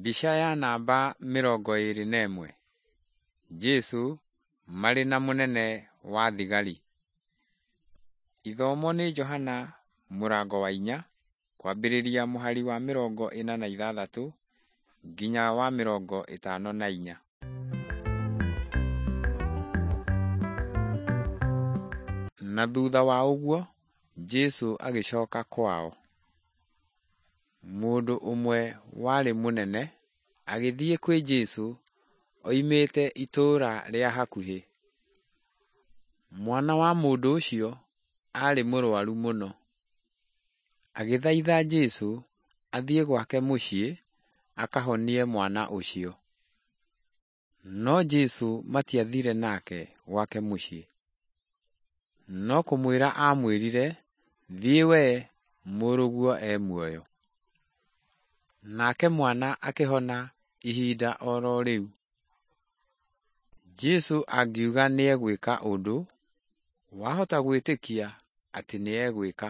Mbica ya namba 21. Jesũ marĩ na mũnene wa thigari. Ithomo nĩ Johana mũrango wa 4 kwambĩrĩria mũhari wa 46 nginya wa 54. Na thutha wa ũguo Jesũ agĩcoka kwao. Mũndũ ũmwe warĩ mũnene agĩthiĩ kwĩ Jesũ oimĩte itũũra rĩa hakuhĩ. Mwana wa mũndũ ũcio aarĩ mũrwaru mũno. Agĩthaitha Jesũ athiĩ gwake mũciĩ akahonie mwana ũcio. No Jesũ matiathire nake gwake mũciĩ. No kũmwĩra aamwĩrire, “Thiĩ wee, mũrũguo e muoyo.” Nake mwana akĩhona ihinda oro rĩu. Jesũ angiuga nĩegwĩka ũndũ, wahota gwĩtĩkia atĩ nĩegwĩka.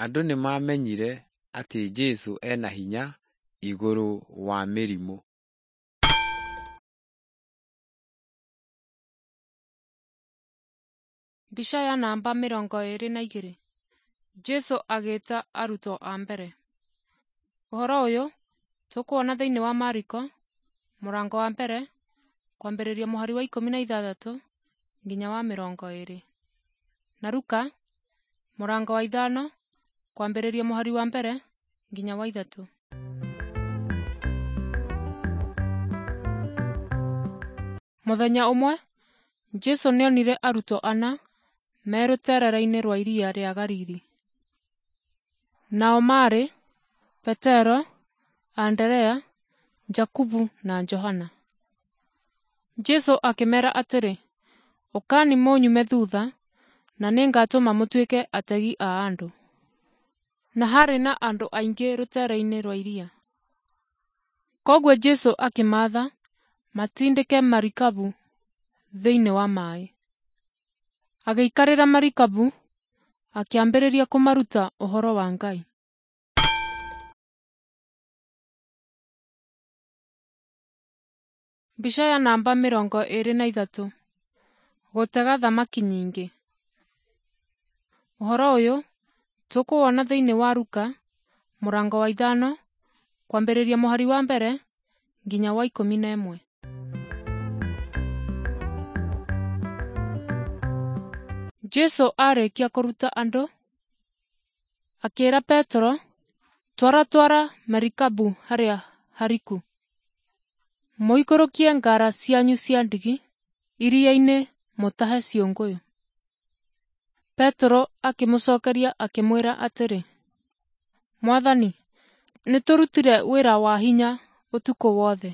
Andũ nĩmamenyire atĩ Jesũ ena hinya igũrũ wa mĩrimũ. Mbica ya namba 22. Jesũ agĩta arutwo a mbere. Ũhoro ũyũ tũkuona thĩinĩ wa Mariko mũrango wa mbere kwambĩrĩria mũhari wa 16 nginya wa 20, na Luka mũrango wa 5 kwambĩrĩria mũhari wa 1 nginya wa 3. Mũthenya ũmwe Jesũ nĩonire arutwo ana me rũteere-inĩ rwa iria rĩa Galili. Nao maarĩ Petero, Anderea, Jakubu na Johana. Jesũ akĩmeera atĩrĩ, “Ũkani mũnyume thutha, na nĩngatũma mũtuĩke ategi a andũ.” Na haarĩ na andũ aingĩ rũteere-inĩ rwa iria. Kwoguo Jesũ akĩmaatha matindĩke marikabu thĩinĩ wa maaĩ. Agĩikarĩra marikabu, akĩambĩrĩria kũmaruta ũhoro wa Ngai. Mbica ya namba 23. Gũtega thamaki nyingĩ. Ũhoro ũyũ tũkũwona thĩinĩ wa Luka mũrango wa 5 kwambĩrĩria mũhari wa 1 nginya wa 11. Jesũ aarĩkia kũruta andũ, akĩĩra Petero, “Twara twara marikabu harĩa hariku. Mũikũrũkie ngara cianyu cia ndigi iria-inĩ mũtahe ciũngũyũ.” Petero akĩmũcokeria akĩmwĩra atĩrĩ, “Mwathani, nĩtũrutire wĩra wa hinya ũtukũ wothe,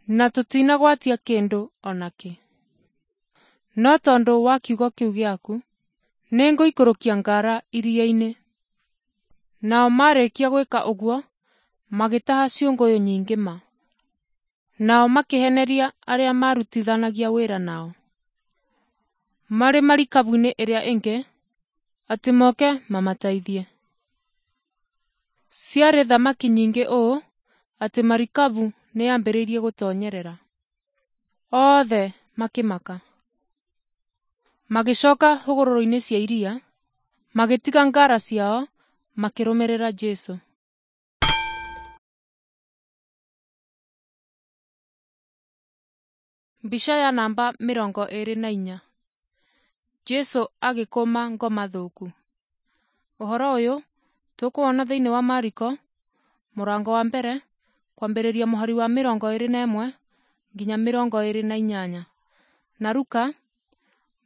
na tũtinagwatia kĩndũ o nakĩ. No tondũ wa kiugo kĩu gĩaku, nĩngũikũrũkia ngara iria-inĩ.” Nao marĩkia gwĩka ũguo, magĩtaha ciũngũyũ nyingĩ ma. Nao makĩheneria arĩa maarutithanagia wĩra nao marĩ marikabu-inĩ ĩrĩa ĩngĩ atĩ moke mamateithie. Ciarĩ thamaki nyingĩ ũũ atĩ marikabu nĩyambĩrĩirie gũtonyerera. Othe makĩmaka. Magĩcoka hũgũrũrũ-inĩ cia iria, magĩtiga ngara ciao, makĩrũmĩrĩra Jesũ. Mbica ya namba 24. Jesũ agĩkũma ngoma thũku. Ũhoro ũyũ tũkũwona thĩinĩ wa Mariko mũrango wa 1 kwambĩrĩria mũhari wa 21 nginya 28, na Luka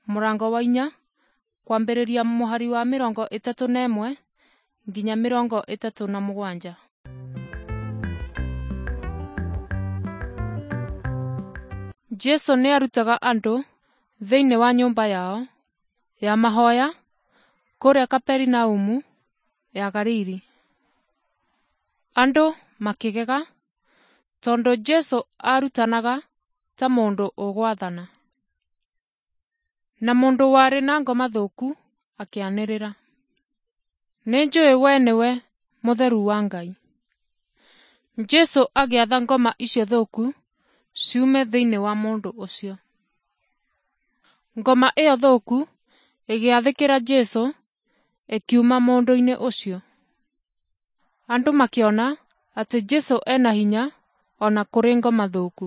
mũrango wa 4 kwambĩrĩria mũhari wa 31 nginya 37. Jesũ nĩarutaga andũ thĩinĩ wa nyũmba yao ya mahoya kũrĩa Kaperinaumu ya Galili. Andũ makĩgega tondũ Jesũ aarutanaga ta mũndũ ũgwathana. Na mũndũ warĩ na ngoma thũku akĩanĩrĩra, “Nĩnjũĩ we nĩwe Mũtheru wa Ngai.” Jesũ agĩatha ngoma icio thũku ciume thĩinĩ wa mũndũ ũcio. Ngoma ĩyo thũku ĩgĩathĩkĩra Jesũ ĩkiuma mũndũ-inĩ ũcio. Andũ makĩona atĩ Jesũ ena hinya o na kũrĩ ngoma thũku.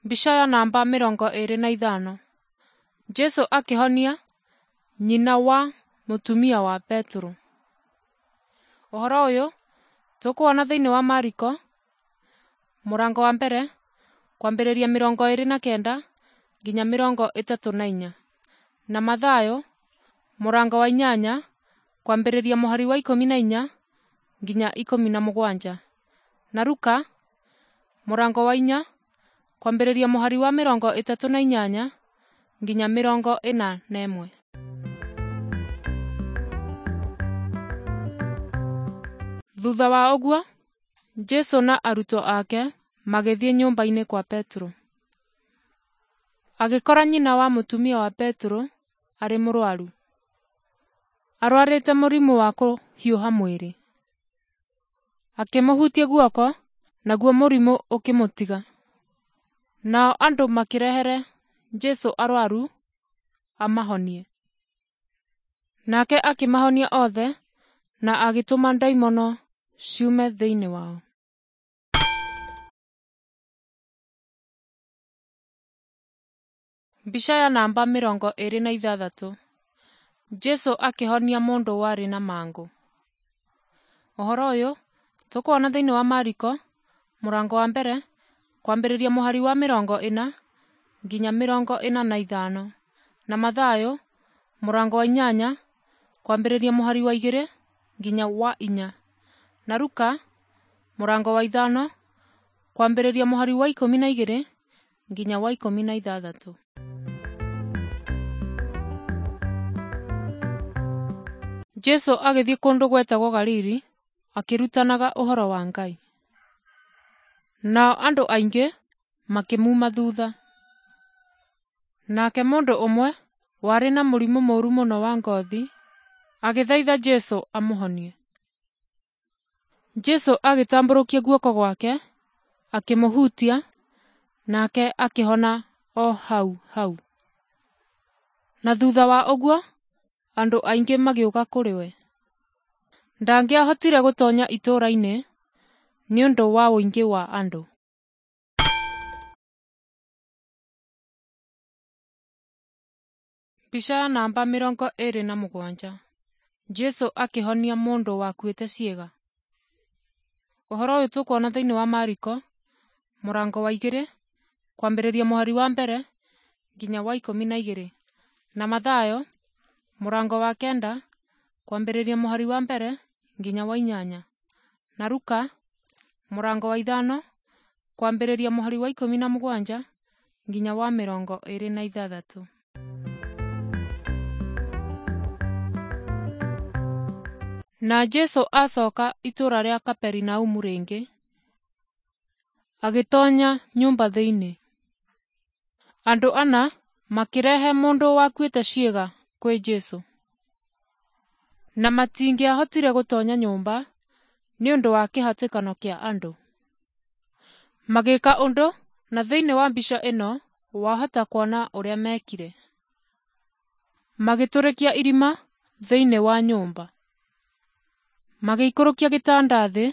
Mbica ya namba 25. Jesũ akĩhonia nyina wa mũtumia wa Petero. Ũhoro ũyũ tũkuona thĩinĩ wa Mariko mũrango wa mbere kwambĩrĩria 29 nginya 34 na Mathayo mũrango wa 8 kwambĩrĩria mũhari wa 14 nginya 17 na Luka mũrango wa 4 kwambĩrĩria mũhari wa 38 nginya 41. Thutha wa ũguo, Jesũ na arutwo ake magĩthiĩ nyũmba-inĩ kwa Petero. Agĩkora nyina wa mũtumia wa Petero arĩ mũrwaru. Arwarĩte mũrimũ wa kũhiũha mwĩrĩ. Akĩmũhutia guoko, naguo mũrimũ ũkĩmũtiga. Nao andũ makĩrehere Jesũ arwaru amahonie. Nake akĩmahonia othe na agĩtũma ndaimono ciume thĩinĩ wao. Mbica ya namba 26. Jesũ akĩhonia mũndũ warĩ na mangũ. Ũhoro ũyũ tũkuona thĩinĩ wa Mariko mũrango wa mbere kwambĩrĩria mũhari wa 40 nginya 45 na Mathayo mũrango wa 8 kwambĩrĩria mũhari wa 2 nginya wa 4 na Luka mũrango wa 5 kwambĩrĩria mũhari wa 12 nginya wa 16. Jesũ agĩthiĩ kũndũ gwetagwo Galili akĩrutanaga ũhoro wa Ngai. Nao andũ aingĩ makĩmuuma thutha. Nake mũndũ ũmwe warĩ na mũrimũ mũũru mũno wa ngothi agĩthaitha Jesũ amũhonie. Jesũ agĩtambũrũkia guoko gwake akĩmũhutia, nake akĩhona o hau hau. Na thutha wa ũguo andũ aingĩ magĩũka kũrĩ we. Ndangĩahotire gũtoonya itũũra-inĩ nĩ ũndũ wa ũingĩ wa andũ. Mbica ya namba 27. Jesũ akĩhonia mũndũ wakuĩte ciĩga. Ũhoro ũyũ tũkuona thĩinĩ wa Mariko mũrango wa 2 kwambĩrĩria mũhari wa 1 nginya wa 12 na Mathayo mũrango wa 9 kwambĩrĩria mũhari wa 1 nginya wa 8 na Luka mũrango wa 5 kwambĩrĩria mũhari wa 17 nginya wa 26. Na Jesũ acoka itũũra rĩa Kaperinaumu rĩngĩ, agĩtoonya nyũmba thĩinĩ. Andũ ana makĩrehe mũndũ wakuĩte ciĩga kwĩ Jesũ. Na matingĩahotire gũtoonya nyũmba nĩ ũndũ wa kĩhatĩkano kĩa andũ. Magĩka ũndũ, na thĩinĩ wa mbica ĩno wahota kuona ũrĩa meekire. Magĩtũrĩkia irima thĩinĩ wa nyũmba. Magĩikũrũkia gĩtanda thĩ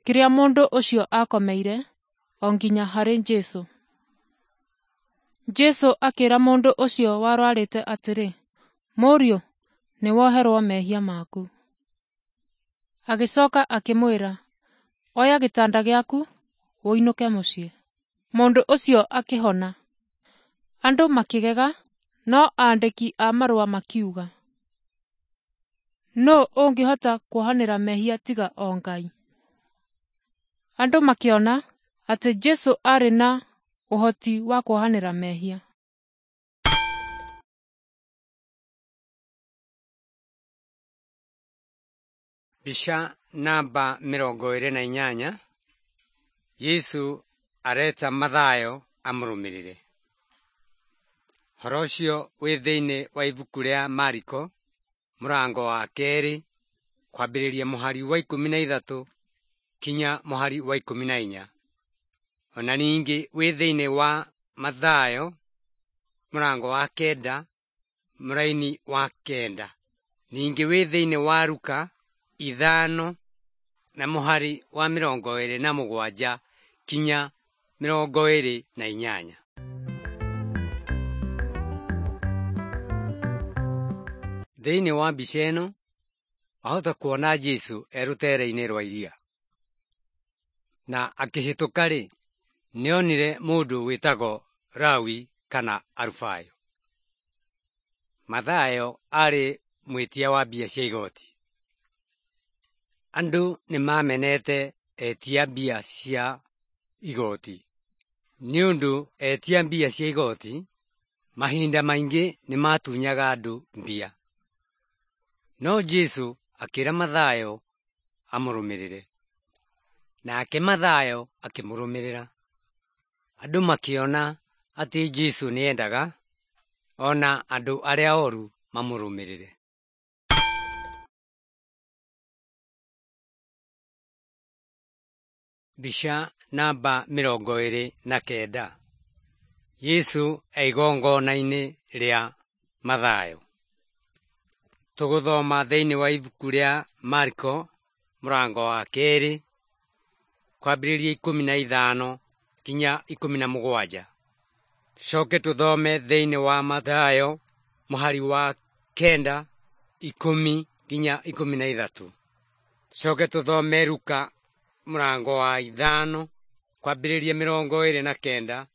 kĩrĩa mũndũ ũcio aakomeire o nginya harĩ Jesũ. Jesũ akĩĩra mũndũ ũcio warwarĩte atĩrĩ, "Mũriũ, nĩwoherwo mehia maku." Agĩcoka akĩmwĩra, "Oya gĩtanda gĩaku ũinũke mũciĩ." Mũndũ ũcio akĩhona. Andũ makĩgega, no aandĩki a marũa makiuga, "Nũũ ũngĩhota kuohanĩra mehia tiga o Ngai?" Andũ makĩona atĩ Jesũ aarĩ na ũhoti wa kuohanĩra mehia. Mbica namba 28. Yesu areta Mathayo amũrũmĩrĩre. Ũhoro ũcio wĩ thĩinĩ wa ibuku rĩa Mariko Mũrango wa kerĩ kwambĩrĩria mũhari wa 13 kinya mũhari wa 14. Ona ningĩ wĩ thĩinĩ wa Mathayo mũrango wa 9 mũraini wa 9. Ningĩ wĩ thĩinĩ wa Luka 5 na mũhari wa 27 kinya 28. Thĩinĩ wa mbica ĩno wahota kuona Jesũ e rũtere-inĩ rwa iria. Na akĩhĩtũka-rĩ, nĩonire mũndũ wĩtagwo Lawi kana Alufayo. Mathayo arĩ mwĩtia wa mbia cia igoti. Andũ nĩmamenete etia mbia cia igoti nĩũndũ etia mbia cia igoti mahinda maingĩ nĩmatunyaga andũ mbia. No Jesũ akĩra Mathayo amũrũmĩrĩre. Nake Mathayo akĩmũrũmĩrĩra. Andũ makĩona atĩ Jesũ nĩendaga ona andũ arĩa oru mamũrũmĩrĩre. Mbica namba 29. Jesũ e igongona-inĩ rĩa Mathayo. Tũgũthoma thĩinĩ wa ibuku rĩa Mariko mũrango wa 2 kwambĩrĩria 15 kinya 17. Tũcoke tũthome thĩinĩ wa Mathayo mũhari wa 9 10 nginya 13. Tũcoke tũthome Luka mũrango wa 5 kwambĩrĩria 29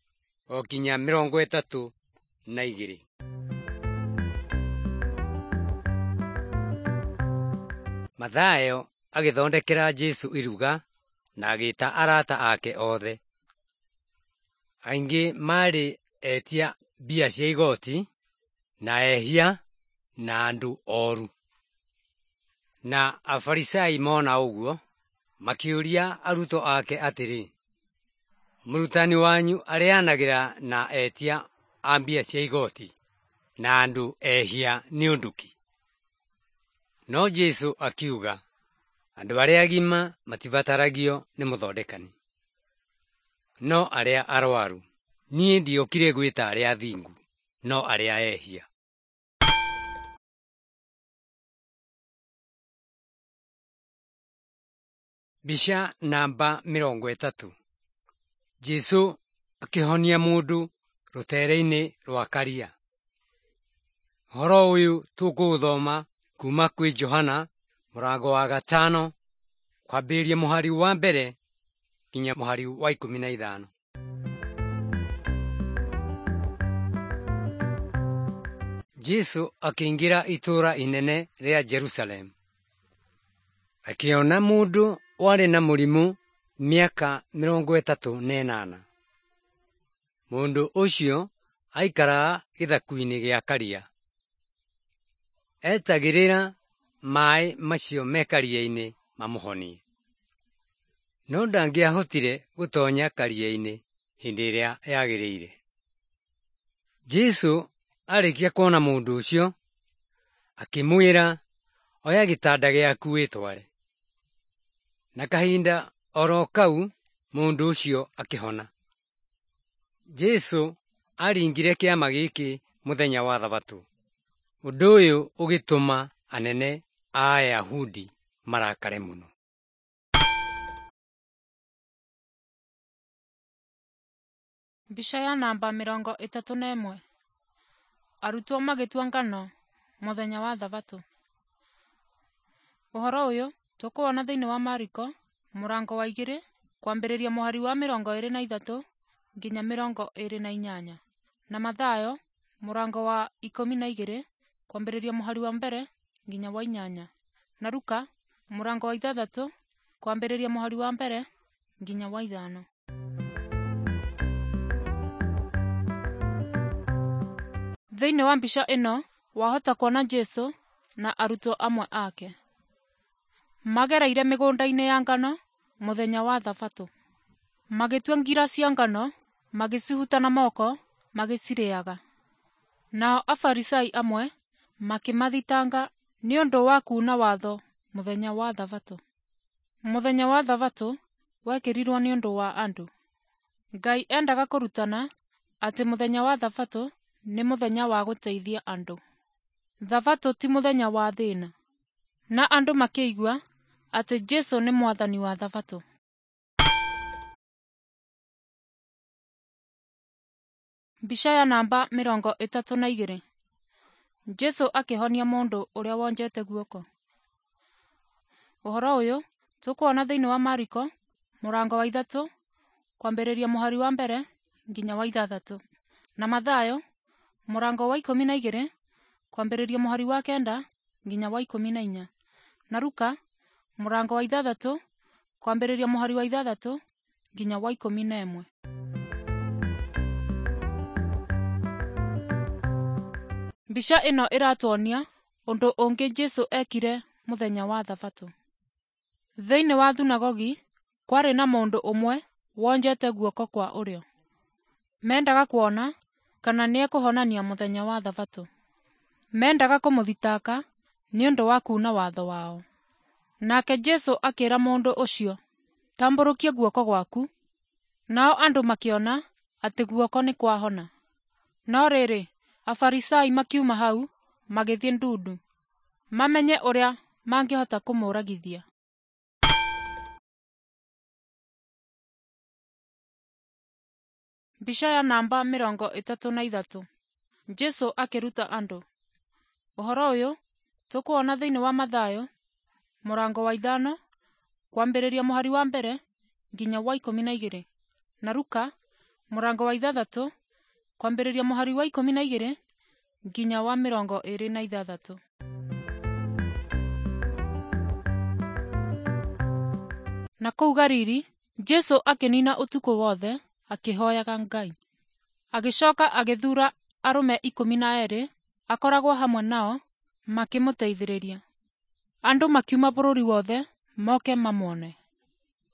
o kinya 32. Mathayo agĩthondekera Jesũ iruga na agĩta arata ake othe. Aingĩ maarĩ etia mbia cia igoti na ehia na andũ oru. Na Afarisai mona ũguo makĩũria arutwo ake atĩrĩ, mũrutani wanyu arĩanagĩra na etia a mbia cia igoti na andũ ehia nĩ ũndũ kĩ? No Jesũ akiuga, andũ arĩa agima matibataragio nĩ mũthondekani, no arĩa arwaru. Niĩ ndiokire gwĩta arĩa athingu, no arĩa ehia. Mbica namba 30. Jesũ akĩhonia mũndũ rũtere-inĩ rwa karia. Ũhoro ũyũ tũkũũthoma kuma kwĩ Johana mũrango wa 5 kwambĩrĩria mũhari wa 1 nginya mũhari wa 15. Jesũ akĩingĩra itũũra inene rĩa Jerusalemu. Akĩona mũndũ warĩ na mũrimũ mĩaka 38. Mũndũ ũcio aikaraga gĩthaku-inĩ gĩa karia. Etagĩrĩra maĩ macio me karia-inĩ mamũhonie. No ndangĩahotire gũtonya karia-inĩ hĩndĩ ĩrĩa yagĩrĩire. Jesũ arĩkia kuona mũndũ ũcio, akĩmwĩra, oya gĩtanda gĩaku wĩtware. Na kahinda oro kau mũndũ ũcio akĩhona. Jesũ aringire kĩama gĩkĩ mũthenya wa Thabatũ. Ũndũ ũyũ ũgĩtũma anene a Ayahudi marakare mũno. Mbica ya namba 31. Arutwo magĩtua ngano mũthenya wa Thabatũ. Ũhoro ũyũ tũkũwona thĩinĩ wa Mariko mũrango wa 2 kwambĩrĩria mũhari wa 23 nginya 28, na Mathayo mũrango wa 12 kwambĩrĩria mũhari wa 1 nginya wa 8, na Luka mũrango wa 6 kwambĩrĩria mũhari wa 1 nginya wa 5. Thĩinĩ wa mbica ĩno wahota kuona Jesũ na arutwo amwe ake. Magereire mĩgũnda-inĩ ya ngano mũthenya wa Thabatũ. Magĩtua ngira cia ngano, magĩcihuta na moko, magĩcirĩaga. Nao Afarisai amwe makĩmathitanga nĩ ũndũ wa kuuna watho mũthenya wa Thabatũ. Mũthenya wa Thabatũ wekĩrirwo nĩ ũndũ wa andũ. Ngai endaga kũrutana atĩ mũthenya wa Thabatũ nĩ mũthenya wa gũteithia andũ. Thabatũ ti mũthenya wa thĩna. Na andũ makĩigua atĩ Jesũ nĩ Mwathani wa Thabatũ. Mbica ya namba 32. Jesũ akĩhonia mũndũ ũrĩa wonjete guoko. Ũhoro ũyũ tũkuona thĩinĩ wa Mariko mũrango wa 3 kwambĩrĩria mũhari wa 1 nginya wa 6, na Mathayo mũrango wa 12 kwambĩrĩria mũhari wa 9 nginya wa 14, na Luka mũrango wa 6 kwambĩrĩria mũhari wa 6 nginya wa 11. Mbica ĩno ĩratuonia ũndũ ũngĩ Jesũ ekire mũthenya wa Thabatũ. Thĩinĩ wa thunagogi kwarĩ na mũndũ ũmwe wonjete guoko kwa ũrĩo. Mendaga kuona kana nĩekũhonania mũthenya wa Thabatũ. Mendaga kũmũthitanga nĩ ũndũ wa kuuna watho wao. Nake Jesũ akĩra mũndũ ũcio, "Tambũrũkia guoko gwaku." Nao andũ makĩona atĩ guoko nĩ kwahona. No rĩrĩ, Afarisai makiuma hau magĩthiĩ ndundu, mamenye ũrĩa mangĩhota kũmũragithia. Mbica ya namba 33. Jesũ akĩruta andũ. Ũhoro ũyũ tũkuona thĩinĩ wa Mathayo mũrango wa 5 kwambĩrĩria mũhari wa 1 nginya wa 12, na Luka mũrango wa 6 kwambĩrĩria mũhari wa 12 nginya wa 26. Na kũu Galili Jesũ akĩnina ũtukũ wothe akĩhoyaga Ngai. Agĩcoka agĩthuura arũme 12 akoragwo hamwe nao makĩmũteithĩrĩria. Andũ makiuma bũrũri wothe moke mamwone.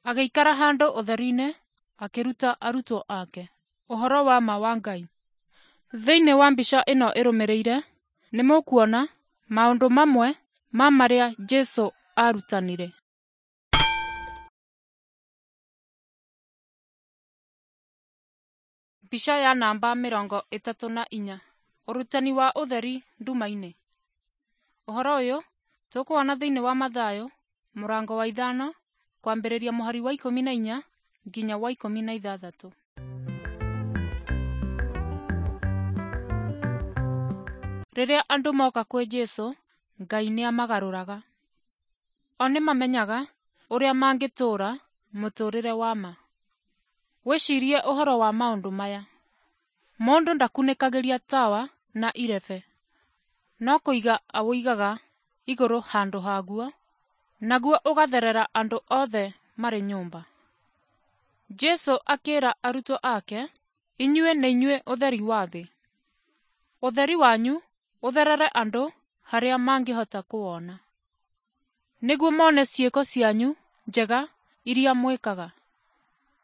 Agĩikara handũ ũtheri-inĩ akĩruta arutwo ake ũhoro wa ma wa Ngai. Thĩinĩ wa mbica ĩno ĩrũmĩrĩire nĩ mũkuona maũndũ mamwe ma marĩa Jesũ aarutanire. Mbica ya namba 34. Ũrutani wa ũtheri nduma-inĩ. Ũhoro ũyũ tũkuona thĩinĩ wa Mathayo mũrango wa 5 kwambĩrĩria mũhari wa 14 nginya wa 16. Rĩrĩa andũ moka kwĩ Jesũ, Ngai nĩamagarũraga. O nĩmamenyaga ũrĩa mangĩtũũra mũtũũrĩre wa ma. Wĩcirie ũhoro wa maũndũ maya. Mũndũ ndakunĩkagĩria tawa na irebe, no kũiga awũigaga igũrũ handũ haguo, naguo ũgatherera andũ othe marĩ nyũmba. Jesũ akĩra arutwo ake, "Inyuĩ nĩ inyuĩ ũtheri wa thĩ. Ũtheri wanyu ũtherere andũ harĩa mangĩhota kũwona, nĩguo mone ciĩko cianyu njega iria mwĩkaga,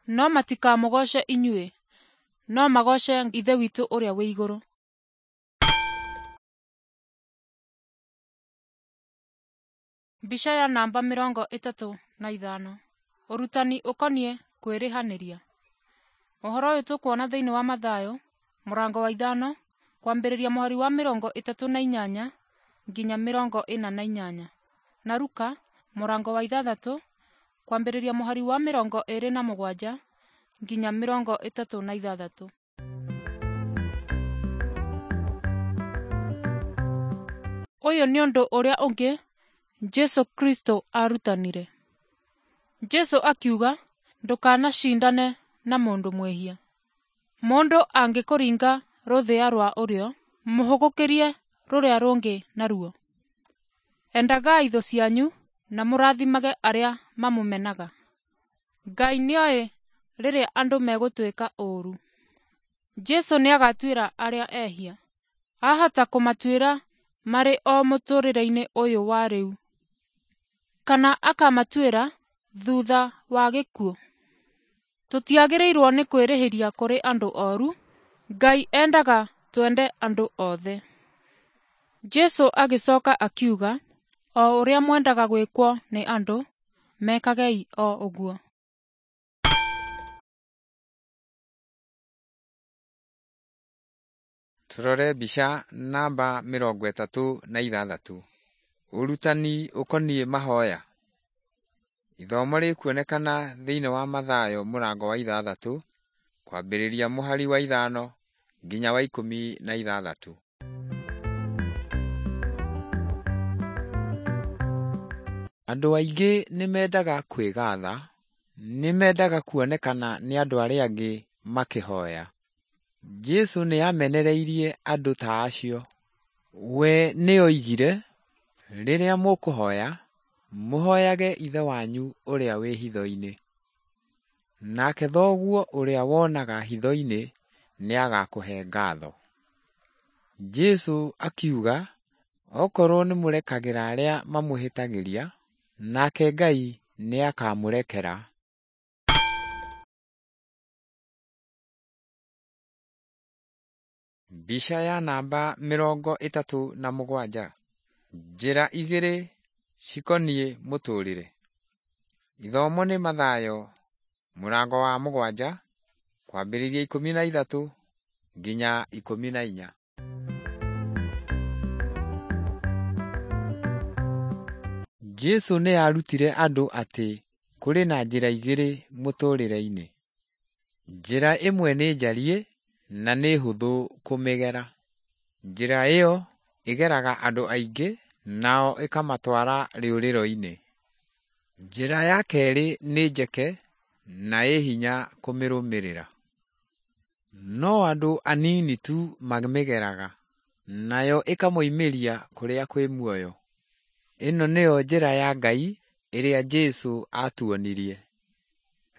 no matikamũgooce inyuĩ, no magooce Ithe witũ ũrĩa wĩ igũrũ." Mbica ya namba 35. Ũrutani ũkoniĩ kwĩrĩhanĩria. Ũhoro ũyũ tũkuona thĩinĩ wa Mathayo mũrango wa 5 kwambĩrĩria mũhari wa 38 nginya 48, na Luka mũrango wa 6 kwambĩrĩria mũhari wa 27 nginya 36. Ũyũ nĩ ũndũ ũrĩa ũngĩ Jesũ Kristo aarutanire. Jesũ akiuga, "Ndũkanacindane na mũndũ mwĩhia. Mũndũ angĩkũringa rũthĩa rwa ũrĩo, mũhũgũkĩrie rũrĩa rũngĩ naruo. Endagai thũ cianyu na mũrathimage arĩa mamũmenaga." Ngai nĩoĩ rĩrĩa andũ megũtwĩka ũũru. Jesũ nĩagatuĩra arĩa ehia. Ahota kũmatuĩra marĩ o mũtũũrĩre-inĩ ũyũ wa rĩu, kana akamatuĩra thutha wa gĩkuũ. Tũtiagĩrĩirwo nĩ kwĩrĩhĩria kũrĩ andũ oru. Ngai endaga twende andũ othe. Jesũ agĩcoka akiuga, O ũrĩa mwendaga gwĩkwo nĩ andũ, mekagei o ũguo. Tũrore mbica namba 36. Ũrutani ũkoniĩ mahoya. Ithomo rĩkuonekana thĩinĩ wa Mathayo mũrango wa 6 kwambĩrĩria mũhari wa 5 nginya wa 16. Andũ aingĩ nĩ mendaga kwĩgatha, nĩ mendaga kuonekana nĩ andũ arĩa angĩ makĩhoya. Jesu nĩ amenereirie andũ ta acio. We nĩ oigire, rĩrĩa mũkũhoya, mũhoyage Ithe wanyu ũrĩa wĩ hitho-inĩ, nake Thoguo ũrĩa wonaga hitho-inĩ nĩagakũhe ngatho. Jesu akiuga, okorwo nĩ mũrekagĩra arĩa mamũhĩtagĩria, nake Ngai nĩakamũrekera. Mbica ya namba 37. Njĩra igĩrĩ cikoniĩ mũtũrĩre. Ithomo nĩ Mathayo mũrango wa 7 kwambĩrĩria 13 nginya 14. Jesu nĩ aarutire andũ atĩ kũrĩ na njĩra igĩrĩ mũtũrĩre-inĩ. Njĩra ĩmwe nĩ njariĩ na nĩ hũthũ kũmĩgera. Njĩra ĩyo ĩgeraga andũ aingĩ nao ĩkamatwara rĩũrĩro-inĩ. Njĩra ya kerĩ nĩ njeke na ĩ hinya kũmĩrũmĩrĩra. No andũ anini tu mamĩgeraga, nayo ĩkamoimĩria kũrĩa kwĩ muoyo. Ĩno nĩyo njĩra ya Ngai ĩrĩa Jesu aatuonirie.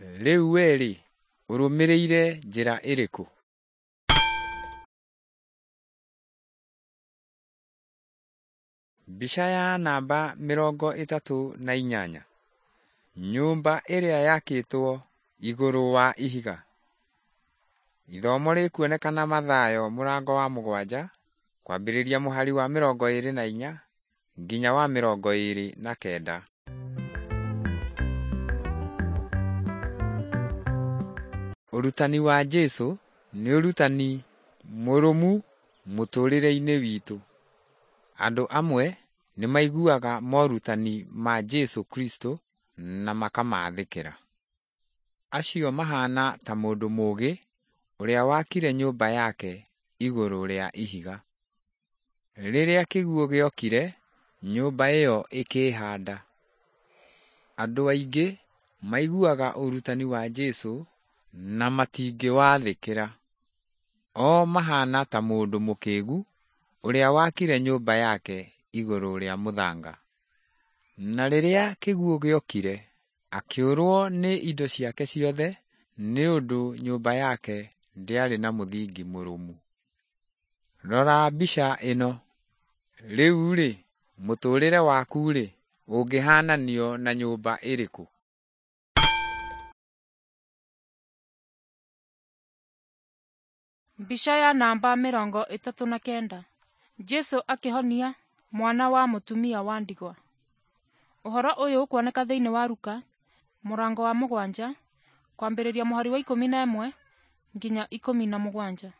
Rĩu we-rĩ, ũrũmĩrĩire njĩra ĩrĩkũ? Mbica ya namba 38. Nyũmba ĩrĩa yakĩtwo igũrũ wa ihiga. Ithomo rĩkuonekana Mathayo mũrango wa 7 kwambĩrĩria mũhari wa 24 nginya wa 29. Ũrutani wa Jesu nĩ ũrutani mũrũmu mũtũrĩre-inĩ witũ. Andũ amwe nĩ maiguaga morutani ma Jesu Kristo na makamathĩkĩra. Acio mahana ta mũndũ mũũgĩ ũrĩa wakire nyũmba yake igũrũ rĩa ihiga. Rĩrĩa kĩguũ gĩokire, nyũmba ĩyo ĩkĩhanda. Andũ aingĩ maiguaga ũrutani wa Jesu na matingĩwathĩkĩra. O mahana ta mũndũ mũkĩgu ũrĩa wakire nyũmba yake igũrũ rĩa mũthanga. Na rĩrĩa kĩguũ gĩokire, akĩũrwo nĩ indo ciake ciothe nĩ ũndũ nyũmba yake ndĩarĩ na mũthingi mũrũmu. Rora mbica ĩno. Rĩu-rĩ, mũtũrĩre waku-rĩ, ũngĩhananio na nyũmba ĩrĩkũ? Mbica ya namba 39. Jesu akĩhonia mwana wa mũtumia wa ndigwa. Ũhoro ũyũ ũkuoneka thĩinĩ wa Luka mũrango wa 7 kwambĩrĩria mũhari wa 11 nginya 17.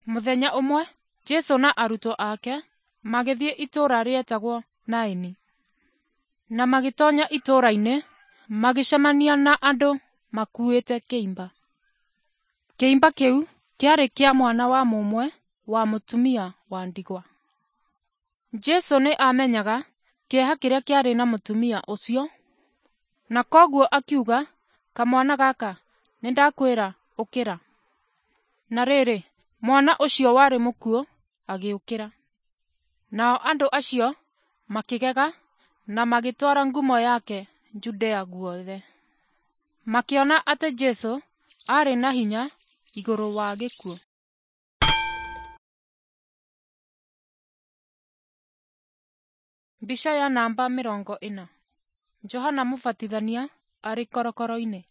Mũthenya ũmwe Jesu na arutwo ake magĩthiĩ itũũra rĩetagwo Naini. Na magĩtonya itũũra-inĩ magĩcemania na andũ makuĩte kĩimba. Kĩimba kĩu kĩarĩ kĩa mwana wa mũmwe wa mũtumia wa ndigwa. Jesu nĩ aamenyaga kĩeha kĩrĩa kĩarĩ na mũtumia ũcio, na kwoguo akiuga, kamwana gaka, nĩndakwĩra ũkĩra. Na rĩrĩ, mwana ũcio warĩ mũkuũ agĩũkĩra. Nao andũ acio makĩgega na magĩtwara ngumo yake Judea guothe. Makĩona atĩ Jesu aarĩ na hinya igũrũ wa gĩkuũ. Mbica ya namba 40. Johana Mũbatithania arĩ korokoro-inĩ.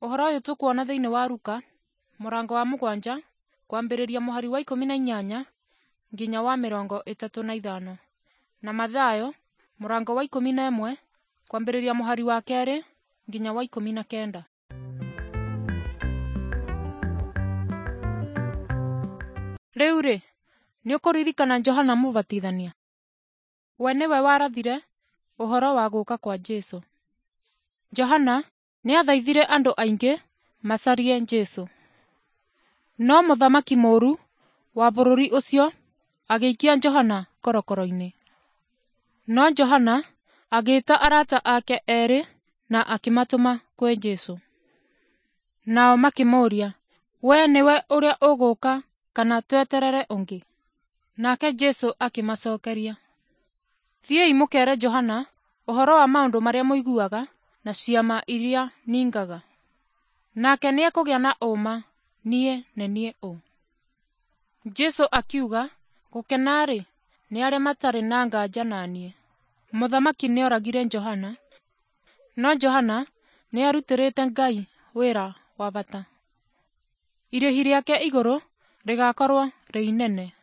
Ũhoro ũyũ tũkuona thĩinĩ wa Luka mũrango wa 7 Kwambĩrĩria mũhari wa 18 nginya wa 35, na Mathayo mũrango wa 11 kwambĩrĩria mũhari wa 2 nginya wa 19. Rĩu-rĩ, nĩũkũririkana Johana Mũbatithania? We nĩwe warathire ũhoro wa gũũka kwa Jesũ. Johana nĩathaithire andũ aingĩ macarie Jesũ. No mũthamaki mũũru wa bũrũri ũcio agĩikia Johana korokoro-inĩ. No Johana agĩĩta arata ake eerĩ na akĩmatũma kwĩ Jesũ. Nao makĩmũũria, "Wee nĩwe ũrĩa ũgũũka kana tweterere ũngĩ?" Nake Jesũ akĩmacokeria, "Thiĩi mũkeere Johana ũhoro wa maũndũ marĩa mũiguaga na ciama iria ningaga. Nake nĩekũgĩa na ũũma niĩ nĩ niĩ ũ." Jesũ akiuga, "Gũkena-rĩ, nĩ arĩa matarĩ na nganja na niĩ." Mũthamaki nĩoragire Johana, no Johana nĩarutĩrĩte Ngai wĩra wa bata. Irĩhi rĩake igũrũ rĩgakorwo rĩ inene.